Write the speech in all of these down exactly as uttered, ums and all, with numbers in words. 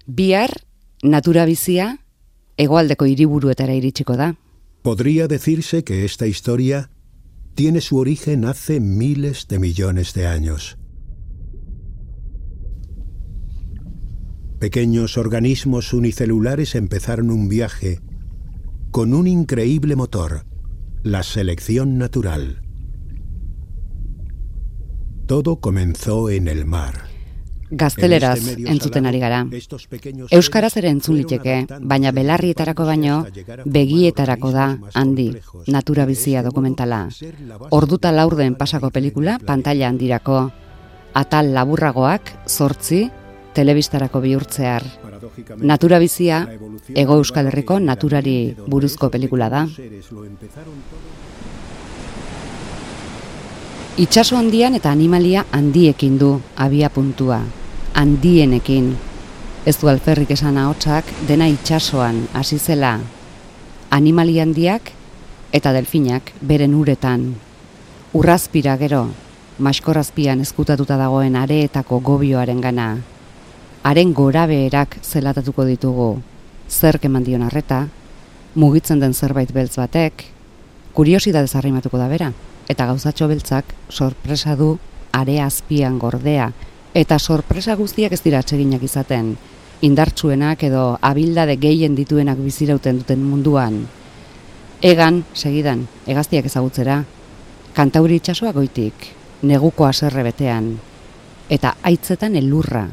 Bihar, natura bizia, hegoaldeko hiriburuetara iritsiko da. Podría decirse que esta historia tiene su origen hace miles de millones de años. Pequeños organismos unicelulares empezaron un viaje con un increíble motor, la selección natural. Todo comenzó en el mar. Gazteleraz entzuten ari gara. Euskaraz ere entzun liteke, baina belarrietarako baino begietarako da handi, natura bizia dokumentala. Orduta laurden pasako pelikula pantaila handirako. Atal laburragoak, zortzi, telebistarako bihurtzear. Natura bizia, Hego Euskal Herriko naturari buruzko pelikula da. Itsaso handian eta animalia handiekin du abia puntua. Handienekin. Ez du alferrik esan ahotsak dena itsasoan hasi zela. Animalia handiak eta delfinak beren uretan. Urrazpira gero, maskorrazpian ezkutatuta dagoen areetako gobioaren gana. Haren gorabeherak zelatatuko ditugu. Zerk eman dion arreta, mugitzen den zerbait beltz batek, kuriosidadez arrimatuko da bera, eta gauzatxo beltzak sorpresa du are azpian gordea, eta sorpresa guztiak ez dira atseginak izaten, indartsuenak edo abildade gehien dituenak bizirauten duten munduan. Egan, segidan, hegaztiak ezagutzera, Kantauri itsasoa goitik, neguko haserre betean, eta haitzetan elurra.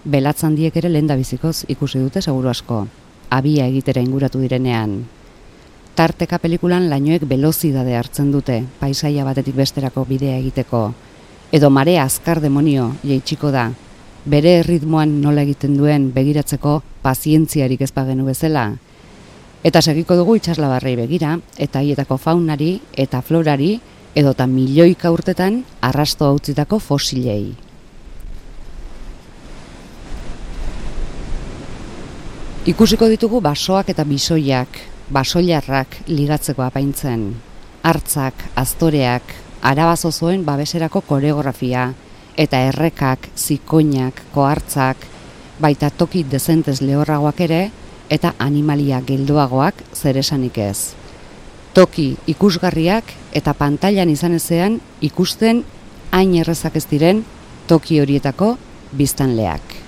Belatzandiek ere lehendabizikoz ikusi dute seguru asko, abia egitera inguratu direnean. Tarteka pelikulan lainoek belozidade hartzen dute, paisaia batetik besterako bidea egiteko, edo marea azkar demonio jaitsiko da, bere erritmoan nola egiten duen begiratzeko pazientziarik ez bagenu bezala. Eta segiko dugu itsaslabarrei begira, eta haietako faunari eta florari, edota milioika urtetan arrasto hautzitako fosilei. Ikusiko ditugu basoak eta bisoiak, basoilarrak ligatzeko apaintzen, hartzak, aztoreak, arabazozoen babeserako koreografia, eta errekak, zikoinak, kohartzak, baita toki dezentez lehorragoak ere, eta animalia geldoagoak zeresanik ez. Toki ikusgarriak eta pantailan izan ezean ikusten hain errezak ez diren toki horietako biztanleak.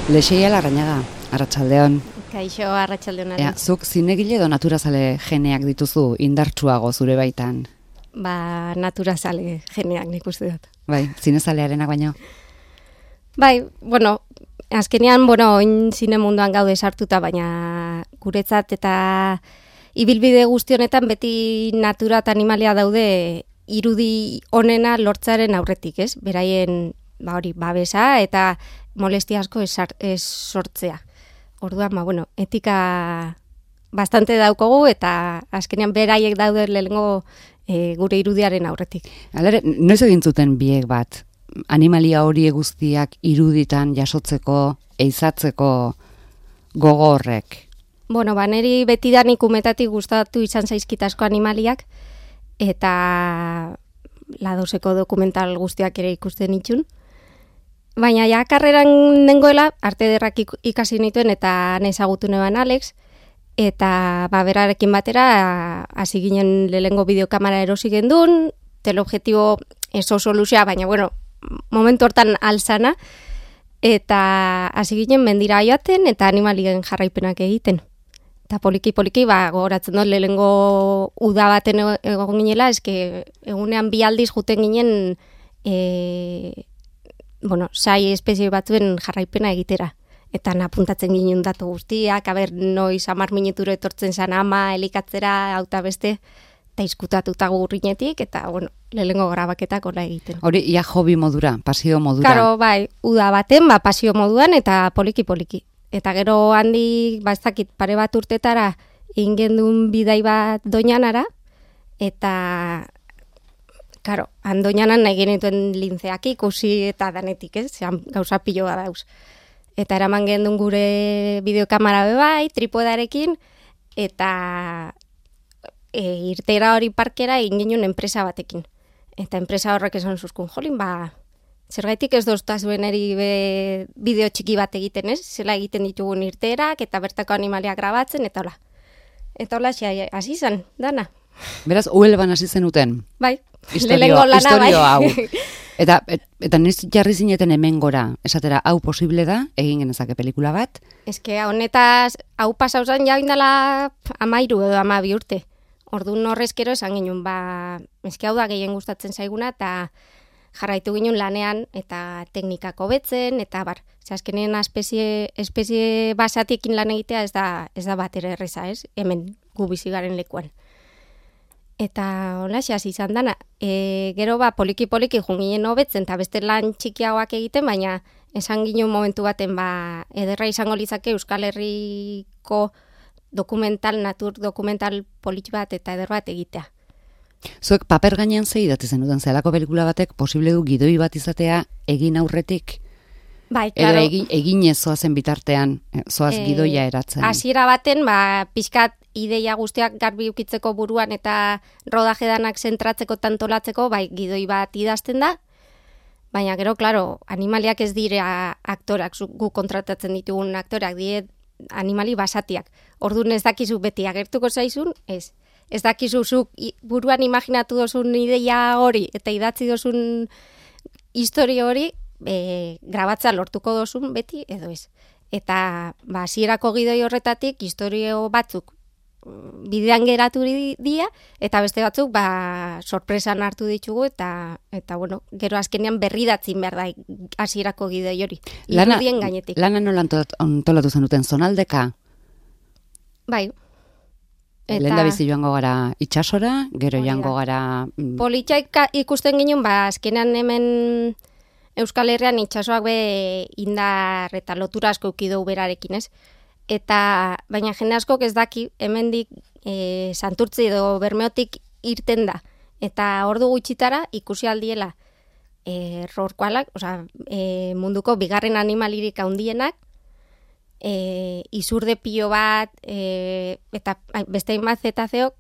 Lexeia Larrañaga, arratsaldeon. Kaixo, arratsaldeon. Ea, zuk zinegile edo naturazale geneak dituzu indartsuago zure baitan? Ba, naturazale geneak nik uste dut. Bai, zinezalearenak baino? Bai, bueno, azkenean, bueno, oin zine munduan gaude sartuta, baina guretzat eta ibilbide guzti honetan beti natura eta animalia daude irudi onena lortzaren aurretik, ez? Beraien, ba hori, babesa eta molestia asko ez, ez sortzea. Orduan, ba, bueno, etika bastante daukogu eta azkenean beraiek daude lehengo e, gure irudiaren aurretik. Alere, noiz egin zuten biek bat? Animalia hori guztiak iruditan jasotzeko, eizatzeko gogo horrek? Bueno, ba, neri betidanik umetatik gustatu izan zaizkitasko animaliak eta ladoseko dokumental guztiak ere ikusten itxun. Baina ja karreran dengoela, arte derrak ikasi nituen eta nezagutu neban Alex, eta ba, berarekin batera hasi ginen lehengo bideokamera erosi gendun, teleobjektibo eso soluzia, baina bueno, momentu hortan alzana, eta hasi ginen mendira joaten eta animalien jarraipenak egiten. Eta poliki-poliki, ba, gogoratzen dut lehengo uda baten egon ginela, eske egunean bi aldiz juten ginen e, bueno, sai espezie batzuen jarraipena egitera. Eta napuntatzen ginen datu guztiak, aber noiz hamar minutura etortzen zan ama, elikatzera, auta beste, eta izkutatuta gurrinetik, eta, bueno, lehengo grabaketak hola egiten. Hori, ia hobi modura, pasio modura. Karo, bai, uda baten, ba, pasio moduan, eta poliki-poliki. Eta gero handi, ba, ez dakit, pare bat urtetara, ingendun bidai bat doinanara, eta, karo, handoinanan nahi genituen lintzeak ikusi eta danetik, ez? Zeran, gauza piloa dauz. Eta eraman gendun gure bideokamera bebai, tripodarekin, eta e, irtera hori parkera egin genuen enpresa batekin. Eta enpresa horrek esan zuzkun, jolin, ba, zergaitik ez doztazuen eri be, bideo txiki bat egiten, ez? Zela egiten ditugun irteerak, eta bertako animaliak grabatzen, eta hola. Eta hola, xai, hasi zen, dana. Beraz, Uelban hasi zenuten. Bai, Historio, lehenengo lana, historio bai. hau. Eta, et, eta niz jarri zineten hemen gora, esatera, hau posible da, egin genezake pelikula bat. Eske, honetaz, hau pasauzan ja indala amairu edo amabi urte. Orduan horrezkero esan ginen, ba, eske hau da gehien gustatzen zaiguna, eta jarraitu ginen lanean, eta teknikako betzen, eta bar, ze azkenean espezie, espezie basatiekin lan egitea ez da, ez da bat ere erreza, ez? Hemen gu bizi garen lekuan. Eta hola, hasi izan dana. E, gero ba, poliki-poliki junginen hobetzen, eta beste lan txikiagoak egiten, baina esan ginen momentu baten, ba, ederra izango litzake Euskal Herriko dokumental, natur dokumental politxi bat eta eder bat egitea. Zuek paper gainean zei idatzi zenuten, zelako pelikula batek posible du gidoi bat izatea egin aurretik? Bai, claro. Edo egin, eginez zoazen bitartean, zoaz E, gidoia eratzen. Hasiera baten, ba, pixkat ideia guztiak garbi ukitzeko buruan eta rodaje danak zentratzeko tantolatzeko, bai, gidoi bat idazten da, baina gero, claro, animaliak ez dira aktorak, zu- gu kontratatzen ditugun aktorak, dire animali basatiak. Orduan ez dakizu beti agertuko zaizun, ez. Ez dakizu zuk i- buruan imaginatu dozun ideia hori eta idatzi dozun historia hori, e, grabatza lortuko dozun beti edo ez. Eta ba, hasierako gidoi horretatik historio batzuk mm, bidean geratu di- dira eta beste batzuk ba, sorpresan hartu ditugu eta eta bueno, gero azkenean berridatzin behar da hasierako gidoi hori. Irudien gainetik. Lana nola anto- antolatu zenuten, zonaldeka? Bai. Lehen da bizi joango gara itxasora, gero Hori da. joango gara... mm, Politxaik ikusten ginen, ba, azkenean hemen Euskal Herrian itxasoak be indar eta lotura asko ukidu berarekin, ez? Eta, baina jende askok ez daki, hemendik e, Santurtzi edo Bermeotik irten da. Eta ordu gutxitara ikusi aldiela e, rorkoalak, osea, e, munduko bigarren animalirik handienak, e, izurde pilo bat, e, eta ai, beste hainbat zetazeok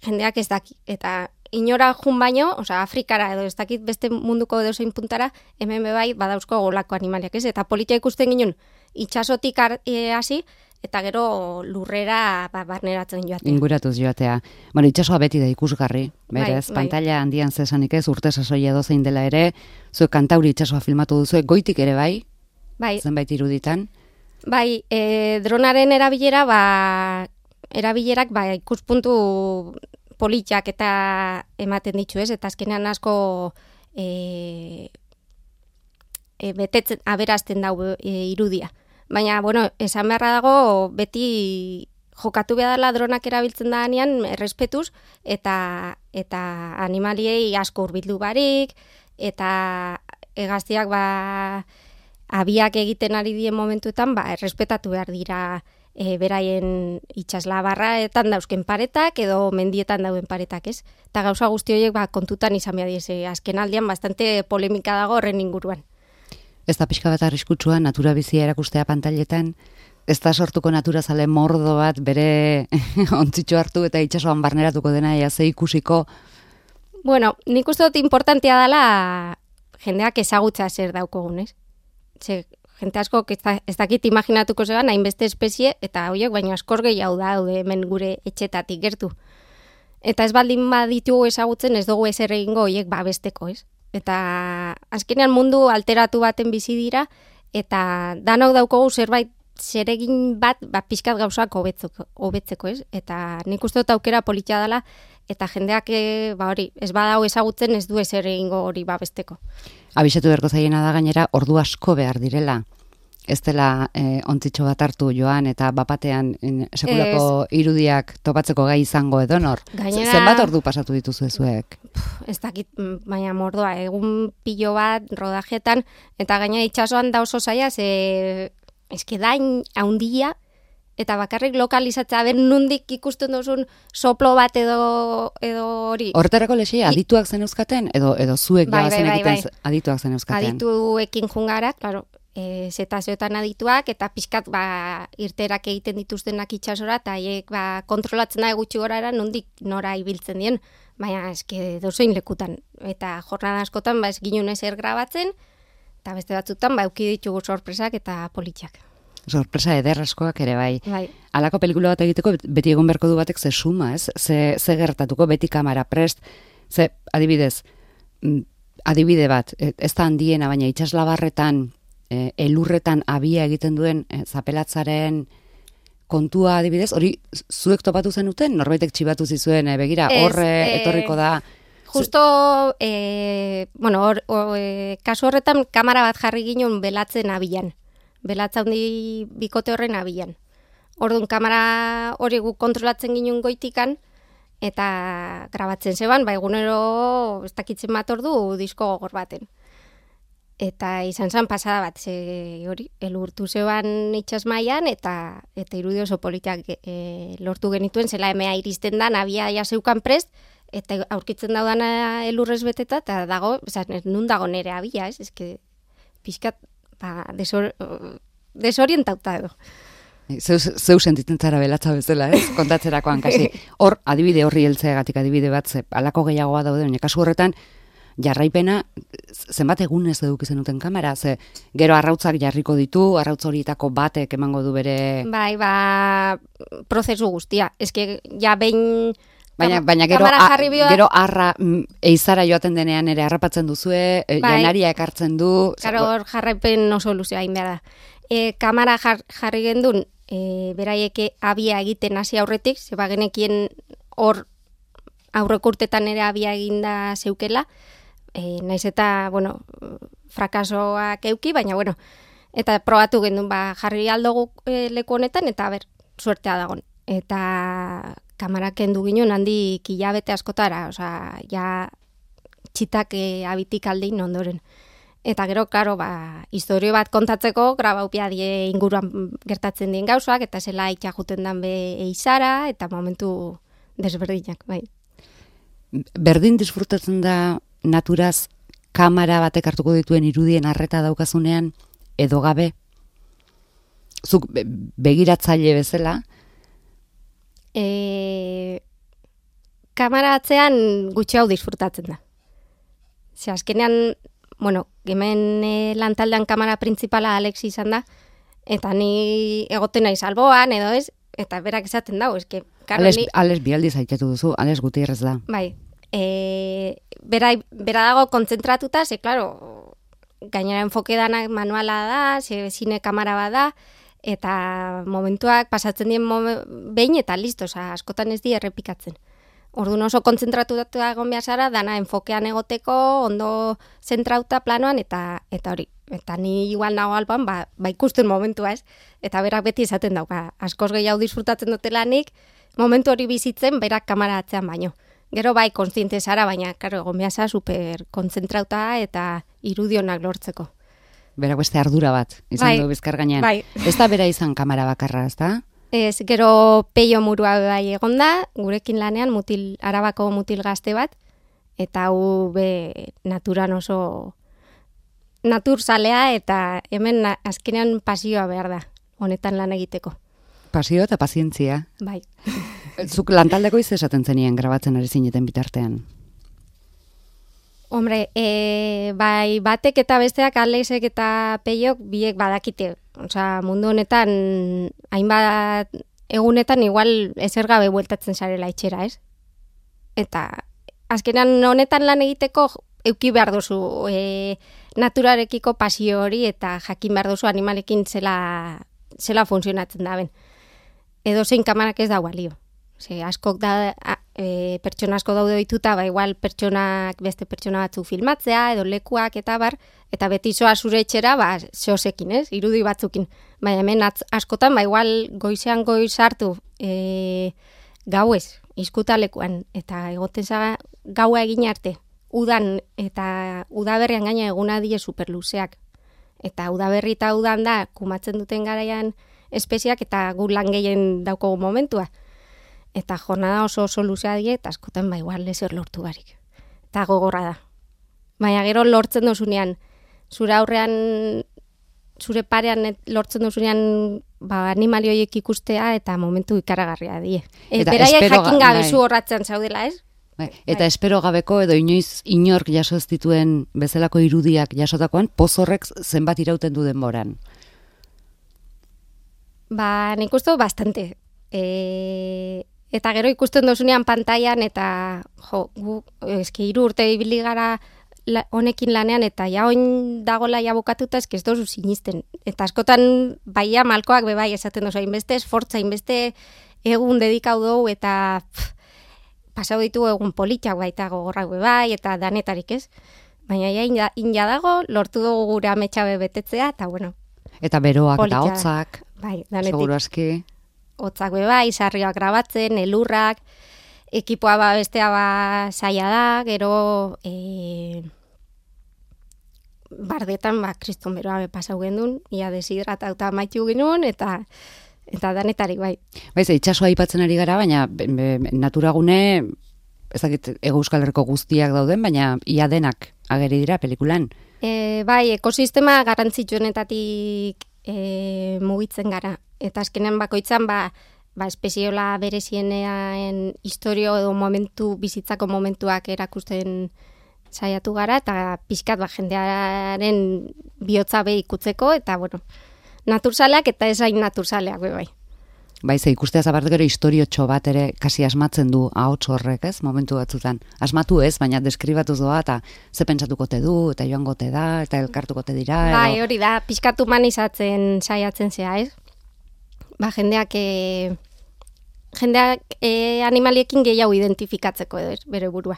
jendeak ez daki. Eta inora jun baino, osea, Afrikara edo ez dakit beste munduko edozein puntara, hemen be bai badauzko golako animaliak, ez? Eta politia ikusten ginen itxasotik har- e, hasi, eta gero lurrera ba, barneratzen joatea. Inguratuz joatea. Bueno, itxasoa beti da ikusgarri, berez, Bai, bai. pantalla handian zesanik ez, urte sasoia dozein dela ere, zuek kantauri itxasoa filmatu duzuek, goitik ere bai, Bai, zenbait iruditan. bai, e, dronaren erabilera, ba, erabilerak ba, ikuspuntu politxak eta ematen ditu, ez? Eta azkenean asko e, e, betetzen, aberazten dau e, irudia. Baina, bueno, esan beharra dago, beti jokatu behar dela dronak erabiltzen da hanean, errespetuz, eta, eta animaliei asko hurbildu barik, eta hegaztiak ba, abiak egiten ari dien momentuetan, ba, errespetatu behar dira e, beraien itxaslabarraetan dauzken paretak, edo mendietan dauen paretak, ez? Eta gauza guzti horiek ba, kontutan izan behar diese, azken aldian bastante polemika dago horren inguruan. Ez da pixka bat arriskutsua natura bizia erakustea pantailetan, ez da sortuko naturazale mordo bat bere ontzitxo hartu eta itxasoan barneratuko dena ea ze ikusiko. Bueno, nik uste dut importantea dela jendeak ezagutza zer daukogun, ez? Ze, jente asko ez, da, ez dakit imaginatuko zeban hainbeste espezie eta horiek baino askor gehiago daude hemen gure etxetatik gertu. Eta ez baldin baditugu ezagutzen ez dugu ezer egingo horiek babesteko, ez? Eta azkenean mundu alteratu baten bizi dira eta danok daukogu zerbait zeregin bat ba, pixkat gauzak hobetzeko, hobetzeko, ez? Eta nik uste dut aukera politia dela eta jendeak e, ba hori, ez badau ezagutzen ez du ezer egingo hori babesteko. Abisatu beharko zaiena da gainera ordu asko behar direla. Ez dela eh, ontzitxo bat hartu joan eta bapatean eh, sekulako irudiak topatzeko gai izango edonor. Gainera- Zenbat ordu pasatu dituzu ezuek? Ez dakit, mm, baina mordoa, egun pilo bat rodajetan, eta gaina itxasoan da oso zaila, ze eske da hain haundia, eta bakarrik lokalizatzea, ben nundik ikusten duzun soplo bat edo edo hori. Horretarako lexi, adituak zen euskaten, edo, edo zuek Bai, jabazen bai, bai, egiten bai. adituak zen euskaten. Adituekin jungara, claro, e, zetazioetan adituak, eta pixkat ba, irterak egiten dituztenak itxasora, eta haiek ba, kontrolatzen da gutxi gorara nondik nora ibiltzen dien. baina eske dozein lekutan. Eta jornada askotan, ba, ez ginen ezer grabatzen, eta beste batzutan, ba, euki ditugu sorpresak eta politxak. Sorpresa ederraskoak ere bai. Bai. Halako pelikula bat egiteko beti egon beharko du batek ze suma, ez? Ze, ze gertatuko, beti kamera prest, ze adibidez, adibide bat, ez da handiena, baina itsaslabarretan, e, elurretan abia egiten duen e, zapelatzaren kontua adibidez, hori zuek topatu zenuten, norbaitek txibatu zizuen, e, begira, horre e, etorriko da. Justo, e, bueno, or, or, e, kasu horretan kamera bat jarri ginen belatzen abilan. Belatza handi bikote horren abilan. Orduan, kamera hori guk kontrolatzen ginen goitikan, eta grabatzen zeban, ba egunero ez dakitzen bat ordu disko gogor baten. Eta izan zen pasada bat, ze hori, elurtu zeban itxas mailan, eta eta irudi oso politak e, lortu genituen, zela emea iristen da, nabia ja zeukan prest, eta aurkitzen daudana elurrez beteta, eta dago, esan, nun dago nere abia, ez? Ez que pixkat, ba, desor, desorientauta edo. Zeu, zeu sentitzen zara belatza bezala, ez? Kontatzerakoan, kasi. Hor, adibide horri heltzeagatik adibide bat, ze, alako gehiagoa daude, baina kasu horretan, jarraipena, zenbat egunez eduki zenuten kamera, ze gero arrautzak jarriko ditu, arrautz horietako batek emango du bere... Bai, ba, prozesu guztia. Ez que, ja, behin... Baina, baina gero, a, gero arra eizara joaten denean ere harrapatzen duzue, bai, janaria ekartzen du... Karo, hor jarraipen oso luzea hain behar da. E, kamera jar, jarri gendun, e, beraieke abia egiten hasi aurretik, zeba genekien hor aurreko urtetan ere abia eginda zeukela, e, naiz eta, bueno, frakasoak euki, baina, bueno, eta probatu gendun, ba, jarri aldogu e, leku honetan, eta ber, suertea dagon. Eta kamera kendu ginen handi hilabete askotara, osea, ja txitak e, abitik aldein ondoren. Eta gero, karo, ba, historio bat kontatzeko, grabaupia die inguruan gertatzen dien gauzak, eta zela itxajuten dan be eizara, eta momentu desberdinak, bai. Berdin disfrutatzen da naturaz kamera batek hartuko dituen irudien arreta daukazunean, edo gabe? Zuk begiratzaile bezala? E, kamera atzean gutxi hau disfrutatzen da. Ze azkenean, bueno, hemen e, lantaldean kamera printzipala Alex izan da, eta ni egoten naiz alboan, edo ez, eta berak esaten dago, eske... Alex, ni... Alex bialdiz aitatu duzu, Alex Gutierrez da. Bai, e, bera, bera dago kontzentratuta, ze, klaro, gainera enfoke danak manuala da, ze zine kamera bada, eta momentuak pasatzen dien momen, behin eta listo, oza, askotan ez di errepikatzen. Orduan oso kontzentratuta egon behar zara, dana enfokean egoteko, ondo zentrauta planoan, eta eta hori. Eta ni igual nago alban, ba, ba ikusten momentua ez. Eta berak beti esaten dauka, askoz gehiago disfrutatzen dutelanik, momentu hori bizitzen, berak kamera atzean baino. Gero bai, konstiente zara, baina, karo, egon behar zara super kontzentrauta eta irudionak lortzeko. Berak beste ardura bat, izan bai, du bizkar gainean. Bai. Ez da bera izan kamera bakarra, ez da? Ez, gero peio murua bai egonda, gurekin lanean mutil, Arabako mutil gazte bat, eta hau be naturan oso naturzalea, eta hemen azkenean pasioa behar da, honetan lan egiteko. Pasio eta pazientzia. Bai. Zuk lantaldeko iz esaten zenien grabatzen ari zineten bitartean? Hombre, e, bai batek eta besteak, Alexek eta peiok biek badakite. Osea, mundu honetan, hainbat egunetan igual ezer gabe bueltatzen zarela itxera, ez? Eta azkenan honetan lan egiteko euki behar duzu e, naturarekiko pasio hori eta jakin behar duzu animalekin zela, zela funtzionatzen da ben. Edo zein kamarak ez da balio. Ze, askok da, e, pertsona asko daude dituta, ba igual pertsonak beste pertsona batzuk filmatzea, edo lekuak eta bar, eta beti zoa zure etxera, ba, zeosekin, ez, irudi batzukin. Baina hemen atz, askotan, ba igual goizean goiz hartu e, gauez, izkuta lekuan, eta egoten zaga gaua egin arte, udan, eta udaberrian gaina eguna die superluzeak. Eta udaberri eta udan da, kumatzen duten garaian espeziak, eta gu lan gehien daukogu momentua. Eta jornada oso oso luzea die, eta askotan ba igual lezer lortu barik. Eta gogorra da. Baina gero lortzen dozunean, zure aurrean, zure parean lortzen dozunean ba, animalioiek ikustea, eta momentu ikaragarria die. E, Beraiek jakin gabe zu horratzen zaudela, ez? Eta espero gabeko edo inoiz inork jaso ez dituen bezalako irudiak jasotakoan, poz horrek zenbat irauten du denboran? Ba, nik uste bastante. E, eta gero ikusten dozunean pantailan eta jo, gu, eski hiru urte ibili gara la, honekin lanean eta ja oin dagola ja bukatuta eski ez dozu sinisten. Eta askotan baia malkoak bebai esaten dozu, hainbeste esfortza, hainbeste egun dedikau dugu eta pff, pasau ditu egun politxak baita gogorrak bebai eta danetarik ez. Baina ja inja, inja dago, lortu dugu gure ametxabe betetzea eta bueno. Eta beroak politxa, eta hotzak, bai, danetik. seguru aski. Hotzak bebai, sarrioak grabatzen, elurrak, ekipoa ba bestea ba saia da, gero e, bardetan ba kriston beroa be pasau gendun, ia deshidratatuta amaitu genuen eta eta danetarik bai. Bai, ze itsasoa aipatzen ari gara, baina be, be, naturagune ez dakit Hego Euskal Herriko guztiak dauden, baina ia denak ageri dira pelikulan. E, bai, ekosistema garrantzitsuenetatik e, mugitzen gara. Eta azkenean bakoitzan, ba, ba espeziola berezienean historio edo momentu, bizitzako momentuak erakusten saiatu gara, eta pixkat ba, jendearen bihotza be ikutzeko, eta bueno, naturzaleak eta esain naturzaleak be bai. Bai, ze ikustea zabart gero historiotxo bat ere kasi asmatzen du ahots horrek, ez, momentu batzutan. Asmatu ez, baina deskribatuz doa, eta ze pentsatuko te du, eta joango te da, eta elkartuko te dira. Edo... Bai, hori da, pixkat humanizatzen saiatzen zea, ez? Ba, jendeak, e, jendeak e, animaliekin gehiago identifikatzeko edo, ez, bere burua.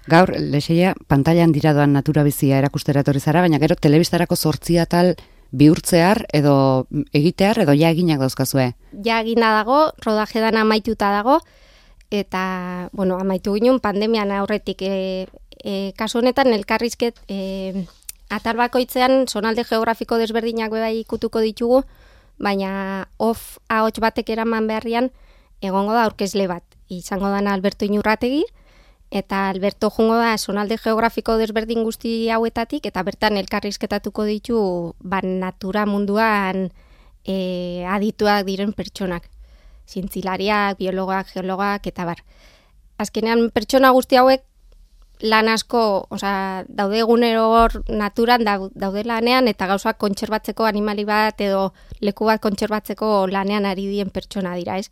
Gaur, Lexeia, pantailan dira doan natura bizia erakustera etorri zara, baina gero telebistarako zortzia tal bihurtzear edo egitear edo ja eginak dauzkazue? Ja egina dago, rodajedan amaituta dago, eta, bueno, amaitu ginen pandemian aurretik. E, e, kasu honetan, elkarrizket, e, atal bakoitzean zonalde geografiko desberdinak bai ikutuko ditugu, baina off ahots batek eraman beharrian egongo da aurkezle bat. Izango dana Alberto Inurrategi, eta Alberto jungo da zonalde geografiko desberdin guzti hauetatik, eta bertan elkarrizketatuko ditu ban natura munduan e, adituak diren pertsonak. Zientzilariak, biologak, geologak, eta bar. Azkenean pertsona guzti hauek lan asko, osea, daude egunero hor naturan daude lanean, eta gauzak kontserbatzeko animali bat edo leku bat kontserbatzeko lanean ari dien pertsona dira, ez?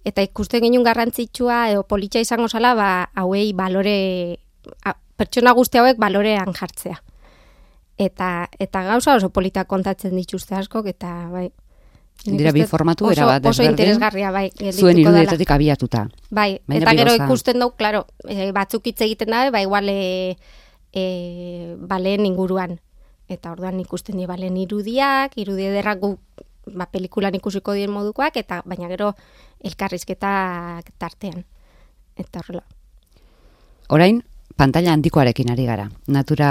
Eta ikusten genuen garrantzitsua edo politxa izango zala, ba, hauei balore, a, pertsona guzti hauek balorean jartzea. Eta, eta gauza oso polita kontatzen dituzte askok, eta bai. Dira bi formatu era bat desberdin. Oso interesgarria, bai. Zuen irudietatik abiatuta. Bai, Baina eta gero biloza. ikusten dugu, klaro, e, batzuk hitz egiten dabe, ba, igual e, e, baleen inguruan. Eta orduan ikusten di baleen irudiak, irudi ederrak gu, ba, pelikulan ikusiko dien modukoak, eta baina gero elkarrizketak tartean. Eta horrela. Orain, pantaila handikoarekin ari gara, natura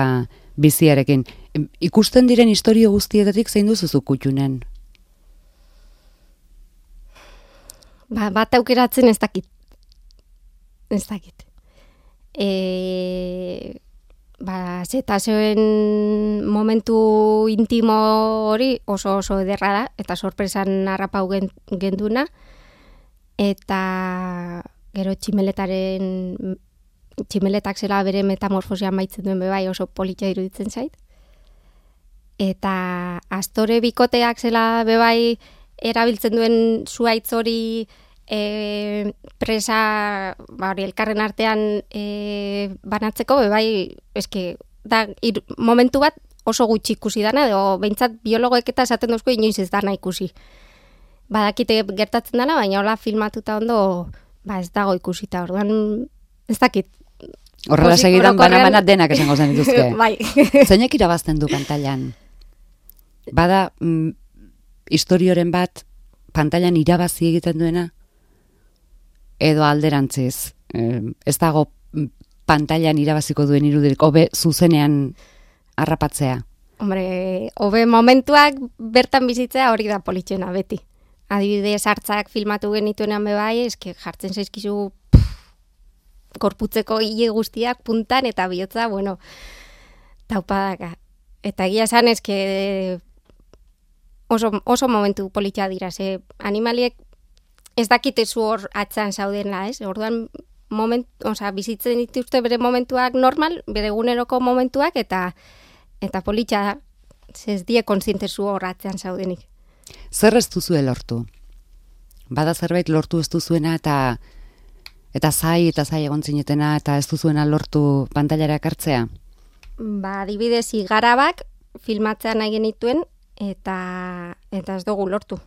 biziarekin. Ikusten diren historio guztietatik zein duzuzu kutxunen? Ba, bat aukeratzen ez dakit. Ez dakit. E, ba, zetazoen momentu intimo hori oso oso ederra da, eta sorpresan harrapau genduna, eta gero tximeletaren, tximeletak zela bere metamorfosia maitzen duen bebai oso politxa iruditzen zait. Eta astore bikoteak zela bebai erabiltzen duen zuaitz hori e, presa ba, hori elkarren artean e, banatzeko, bebai, eske, da, ir, momentu bat oso gutxi ikusi dana, edo behintzat biologoek eta esaten duzko inoiz ez dana ikusi. Badakite gertatzen dana, baina hola filmatuta ondo ba, ez dago ikusita, orduan ez dakit. Horrela segidan bana-bana denak esango zen dituzke. Bai. Zeinek irabazten du pantailan? Bada... Mm, historioren bat pantailan irabazi egiten duena edo alderantziz eh, ez dago pantailan irabaziko duen irudirik hobe zuzenean harrapatzea. Hombre, hobe momentuak bertan bizitzea hori da politxena beti. Adibidez hartzak filmatu genituenean bebai, eske jartzen zaizkizu gorputzeko hile guztiak puntan eta bihotza, bueno, taupadaka. Eta egia esan eske Oso, oso momentu politxa dira, ze animaliek ez dakite zu hor atzan zaudena, ez? Orduan moment, osea, bizitzen dituzte bere momentuak normal, bere eguneroko momentuak, eta eta politxa ez die kontzientezu horratzean zaudenik. Zer ez duzue lortu? Bada zerbait lortu ez duzuena eta eta zai eta zai egon zinetena eta ez duzuena lortu pantailara ekartzea? Ba, adibidez, igarabak filmatzea nahi genituen eta eta ez dugu lortu.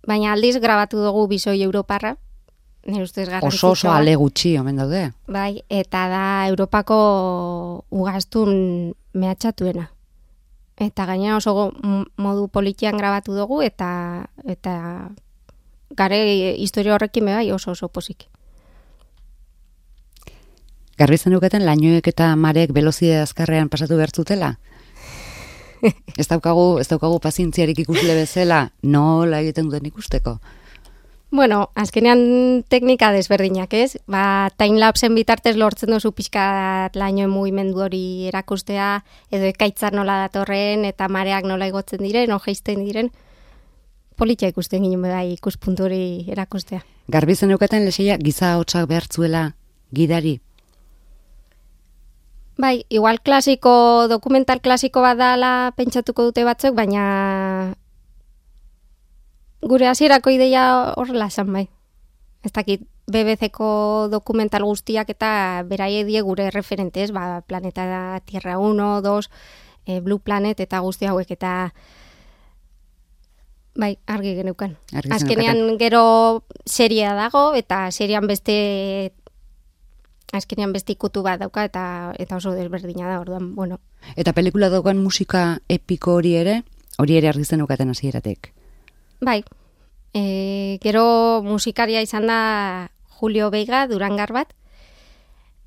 Baina aldiz grabatu dugu Bisoi Europarra. Nire ustez garrantzitsua. Oso oso ale gutxi omen daude. Bai, eta da Europako ugaztun mehatxatuena. Eta gaina oso modu politian grabatu dugu eta eta gare historia horrekin bai oso oso pozik. Garbi zenuketen lainoek eta marek velozide azkarrean pasatu behar zutela? ez daukagu, ez daukagu pazientziarik ikusle bezala, nola egiten duten ikusteko? Bueno, azkenean teknika desberdinak, ez? Ba, timelapsen bitartez lortzen duzu pixkat lainoen mugimendu hori erakustea, edo ekaitzar nola datorren, eta mareak nola igotzen diren, o jeisten diren. Politia ikusten ginen bai ikuspuntu hori erakustea. Garbi zeneukaten leseia giza hotsak behartzuela gidari? Bai, igual klasiko, dokumental klasiko bat dala pentsatuko dute batzuk, baina gure hasierako ideia horrela esan bai. Ez dakit, B B C-ko dokumental guztiak eta beraie die gure referentez, ba, Planeta Tierra uno, dos, e, Blue Planet eta guzti hauek eta bai, argi geneukan. Argi azkenean zeneukaten. Gero seria dago eta serian beste azkenean beste ikutu bat dauka eta eta oso desberdina da, orduan, bueno. Eta pelikula daukan musika epiko hori ere, hori ere argi zeneukaten hasieratik. Bai, e, gero musikaria izan da Julio Veiga, Durangar bat,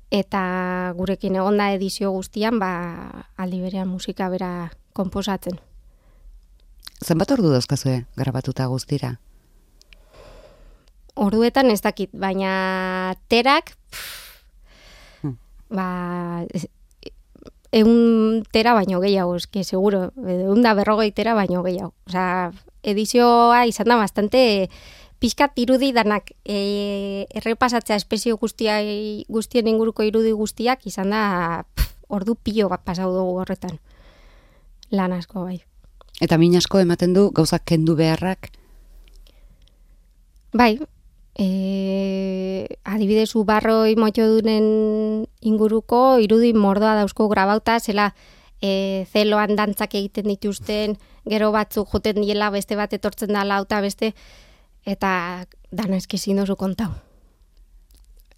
eta gurekin egonda edizio guztian, ba, aldi berean musika bera konposatzen. Zenbat ordu dauzkazue grabatuta guztira? Orduetan ez dakit, baina terak, Hmm. ba, egun tera baino gehiago, eske seguro, egun da berrogei tera baino gehiago. Osea, edizioa izan da bastante pixkat irudi danak e, errepasatzea espezio guztiai, guztien inguruko irudi guztiak izan da pff, ordu pilo bat pasau dugu horretan. Lan asko bai. Eta min asko ematen du gauzak kendu beharrak? Bai, e, adibidez ubarroi motxodunen inguruko irudi mordoa dauzko grabauta, zela e, zeloan dantzak egiten dituzten, gero batzuk joten diela beste bat etortzen da lauta beste, eta dana eskizin dozu kontau.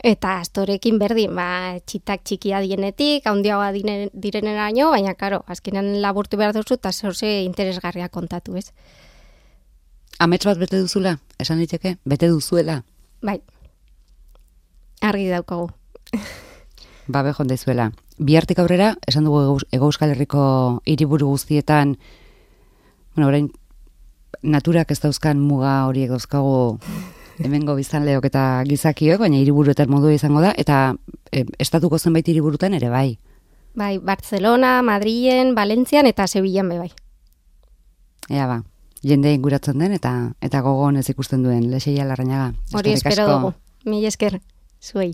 Eta astorekin berdin, ba, txitak txikia dienetik, handiagoa direneraino, baina, karo, azkenean laburtu behar duzu, eta zorze interesgarria kontatu, ez? Amets bat bete duzula, esan diteke, bete duzuela. Bai, argi daukagu. Ba, behon dezuela. Bihartik aurrera, esan dugu Hego Euskal Herriko hiriburu guztietan, bueno, orain, naturak ez dauzkan muga horiek dauzkagu hemengo biztanleok eta gizakiok, baina hiriburuetan modu izango da, eta e, estatuko zenbait hiriburutan ere bai. Bai, Barcelona, Madrilen, Valentzian eta Sevillan be bai. Ea ba, jende inguratzen den eta eta gogon ez ikusten duen Lexeia Larrañaga. Hori espero dugu. Mila esker, zuei.